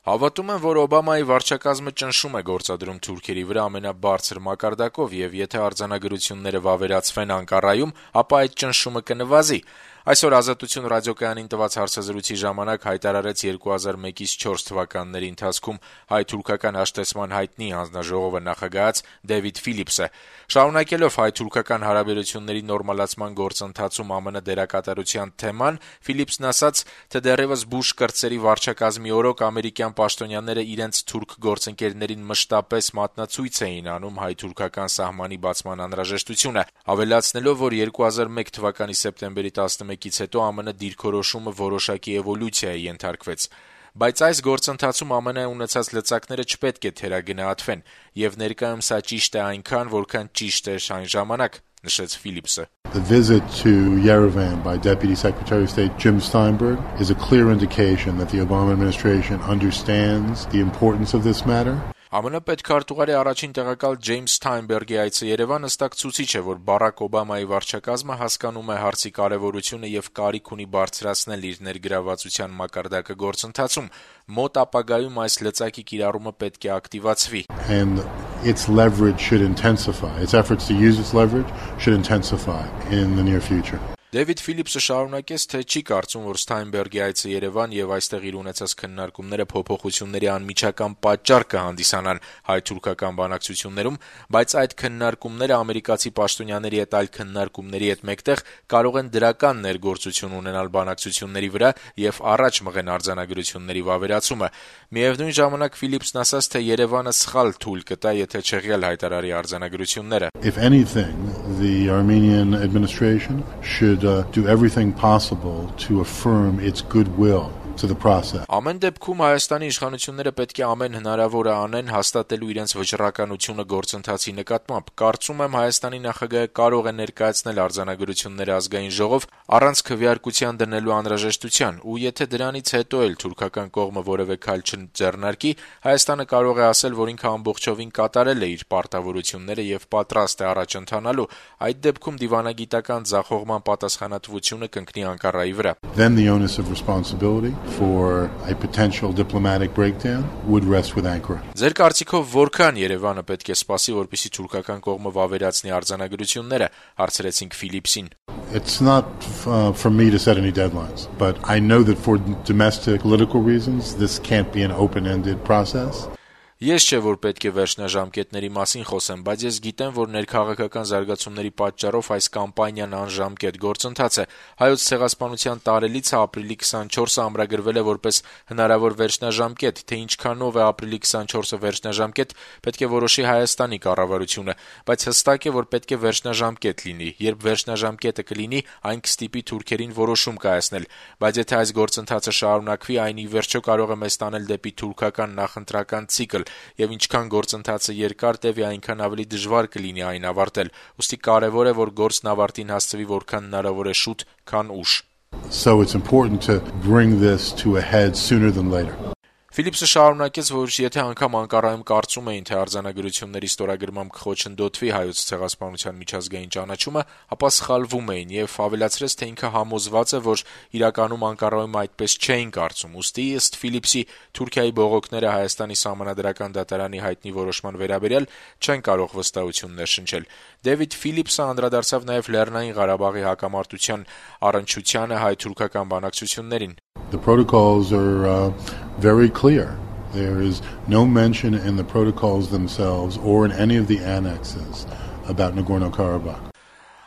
Հավատում եմ, որ Օբամայի վարչակազմը ճնշում է գործադրում թուրքերի վրա ամենաբարձր մակարդակով եւ եթե արձանագրությունները վավերացվեն Անկարայում, ապա այդ ճնշումը կնվազի։ Այսօր Ազատություն ռադիոկայանին տված հարցազրույցի ժամանակ հայտարարեց 2001-4 թվականների ընթացքում հայ-թուրքական հաշտեցման հայտնի հանձնաժողովը նախագահած Դեվիդ Ֆիլիպսը։ Շարունակելով հայ-թուրքական հարաբերությունների նորմալացման գործընթացում ԱՄՆ դերակատարության թեման, Ֆիլիպսն ասաց, թե դեռևս Բուշ կրտսերի վարչակազմի օրոք ամերիկյան պաշտոնյաները իրենց թուրք գործընկերներին մշտապես մատնացույց էին անում հայ-թուրքական սահմանի բացման անհրաժեշտությունը, ավելացնելով, որ 2001 թվականի սեպտեմբերի 11-ից հետո ԱՄՆ դիրքորոշումը որոշակի էվոլյուցիա է ենթարկվեց։ Բայց այս գործընթացում ԱՄՆ ունեցած լծակները չպետք է թերագնահատվեն, եւ ներկայում սա ճիշտ է այնքան, որքան ճիշտ էր այն ժամանակ, նշեց Ֆիլիպսը։ The visit to Yerevan by Deputy Secretary of State Jim Steinberg is a clear indication that the Obama administration understands the importance of this matter. ԱՄՆ պետքարտուղարի առաջին տեղակալ Ջեյմս Սթայնբերգի այցը Երևան հստակ ցուցիչ է, որ Բարակ Օբամայի վարչակազմը հասկանում է հարցի կարևորությունը եւ կարիք ունի բարձրացնել իր ներգրավվածության մակարդակը գործընթացում։ Մոտ ապագայում այս լծակի կիրառումը պետք է ակտիվացվի։ And its leverage should intensify. Its efforts to use its leverage should intensify in the near future. Դեվիդ Ֆիլիպսը շարունակեց, թե չի կարծում, որ Սթայնբերգի այցը Երևան եւ այստեղ իր ունեցած քննարկումները փոփոխությունների անմիջական պատճառ կհանդիսանան հայ-թուրքական բանակցություններում, բայց այդ քննարկումները ամերիկացի պաշտոնյաների հետ այլ քննարկումների հետ մեկտեղ կարող են դրական ներգործություն ունենալ բանակցությունների վրա եւ առաջ մղեն արձանագրությունների վավերացումը։ Միևնույն ժամանակ Ֆիլիպսն ասաց, թե Երևանը սխալ թույլ կտա, եթե չեղյալ հայտարարի արձանագրությունները։ If anything, the Armenian administration should do everything possible to affirm its goodwill to the process. Ամեն դեպքում Հայաստանի իշխանությունները պետք է ամեն հնարավորը անեն հաստատելու իրենց վճռականությունը գործընթացի նկատմամբ։ Կարծում եմ Հայաստանի նախագահը կարող է ներկայացնել արձանագրությունները ազգային ժողով առանց քվեարկության դնելու անհրաժեշտության, ու եթե դրանից հետո էլ թուրքական կողմը որևէ քայլ չձեռնարկի, Հայաստանը կարող է ասել, որ ինքը ամբողջովին կատարել է իր պարտավորությունները եւ պատրաստ է առաջ ընթանալու։ Այդ դեպքում դիվանագիտական ձախողման պատասխանատվությունը կընկնի Անկարայի վրա։ Then the onus of responsibility for a potential diplomatic breakdown would rest with Ankara. Ձեր կարծիքով որքան Երևանը պետք է սպասի, որպեսզի թուրքական կողմը վավերացնի արձանագրությունները, հարցրեցինք Ֆիլիպսին։ It's not for me to set any deadlines, but I know that for domestic political reasons, this can't be an open-ended process. Ես չէ, որ պետք է վերջնաժամկետների մասին խոսեմ, բայց ես գիտեմ, որ ներքաղաքական զարգացումների պատճառով այս կամպանիան անժամկետ գործընթաց է։ Հայոց ցեղասպանության տարելիցը ապրիլի 24-ը ամրագրվել է որպես հնարավոր վերջնաժամկետ, թե ինչքանով է ապրիլի 24-ը վերջնաժամկետ, պետք է որոշի Հայաստանի կառավարությունը, բայց հստակ է, որ պետք է վերջնաժամկետ լինի։ Երբ վերջնաժամկետը կլինի, այն կստիպի թուրքերին որոշում կայացնել, բայց եթե այս գործընթացը շարունակվի, այն ի վերջո կարող է մեզ տանել դեպի թուրքական նախընտրական ցիկլ, եւ ինչքան գործընթացը երկար տևի, այնքան ավելի դժվար կլինի այն ավարտել։ Ուստի կարեւոր է, որ գործն ավարտին հասցվի որքան հնարավոր է շուտ, քան ուշ։ So it's important to bring this to a head sooner than later. Ֆիլիպսը շարունակեց, որ եթե անգամ Անկարայում կարծում էին, թե արձանագրությունների ստորագրմամբ կխոչընդոտվի հայոց ցեղասպանության միջազգային ճանաչումը, ապա սխալվում էին եւ ավելացրեց, թե ինքը համոզված է, որ իրականում Անկարայում այդպես չէին կարծում։ Ուստի ըստ Ֆիլիպսի Թուրքիայի բողոքները Հայաստանի սահմանադրական դատարանի հայտնի որոշման վերաբերյալ չեն կարող վստահություններ շնչել։ Դեվիդ Ֆիլիպսը անդրադարձավ նաեւ Լեռնային Ղարաբաղի հակամարտության առնչությանը հայ-թուրքական բանակցություններին։ The protocols are very clear. There is no mention in the protocols themselves or in any of the annexes about Nagorno-Karabakh.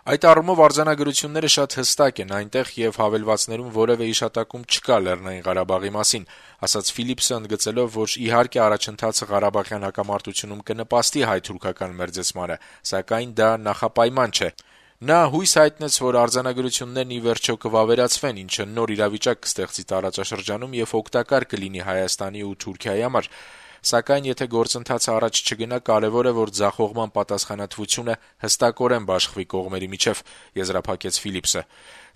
Այդ առումով արձանագրությունները շատ հստակ են այնտեղ եւ հավելվածներում որևէ իշատակում չկա Լեռնային Ղարաբաղի մասին, ասաց Ֆիլիպսը ընդգծելով, որ իհարկե առաջընթացը Ղարաբաղյան հակամարտությունում կնպաստի հայ-թուրքական մերձեցմանը, սակայն դա նախապայման չէ։ Նա հույս հայտնեց, որ արձանագրություններն ի վերջո կվավերացվեն, ինչը նոր իրավիճակ կստեղծի տարածաշրջանում եւ օգտակար կլինի Հայաստանի ու Թուրքիայի համար։ Սակայն եթե գործընթացը առաջ չգնա, կարևոր է, որ ձախողման պատասխանատվությունը հստակորեն բաշխվի կողմերի միջև, եզրափակեց Ֆիլիպսը։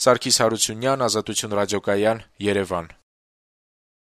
Սարգիս Հարությունյան, Ազատություն ռադիոկայան, Երևան։